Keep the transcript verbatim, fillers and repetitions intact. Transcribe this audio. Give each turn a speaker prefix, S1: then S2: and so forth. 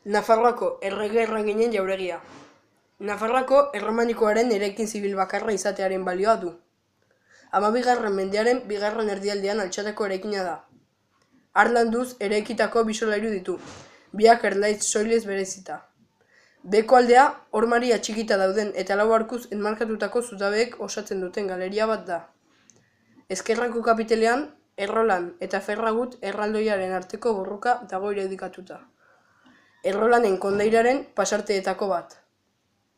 S1: Nafarroako errege erreginen jauregia. Nafarroako erromanikoaren eraikin zibil bakarra izatearen balioa du. Hamabigarren mendearen bigarren erdialdean altxateko eraikina da. Harlanduz eraikitako bi solairu ditu, biak erlaitz soilez berezita. Beheko aldea hormari atxikita dauden eta lau arkuz enmarkatutako zutabeek osatzen duten galeria bat da. Ezkerrako kapitelean Errolan eta Ferragut erraldoiaren arteko borroka dago irudikatuta. Errolanen kondairaren pasarteetako bat.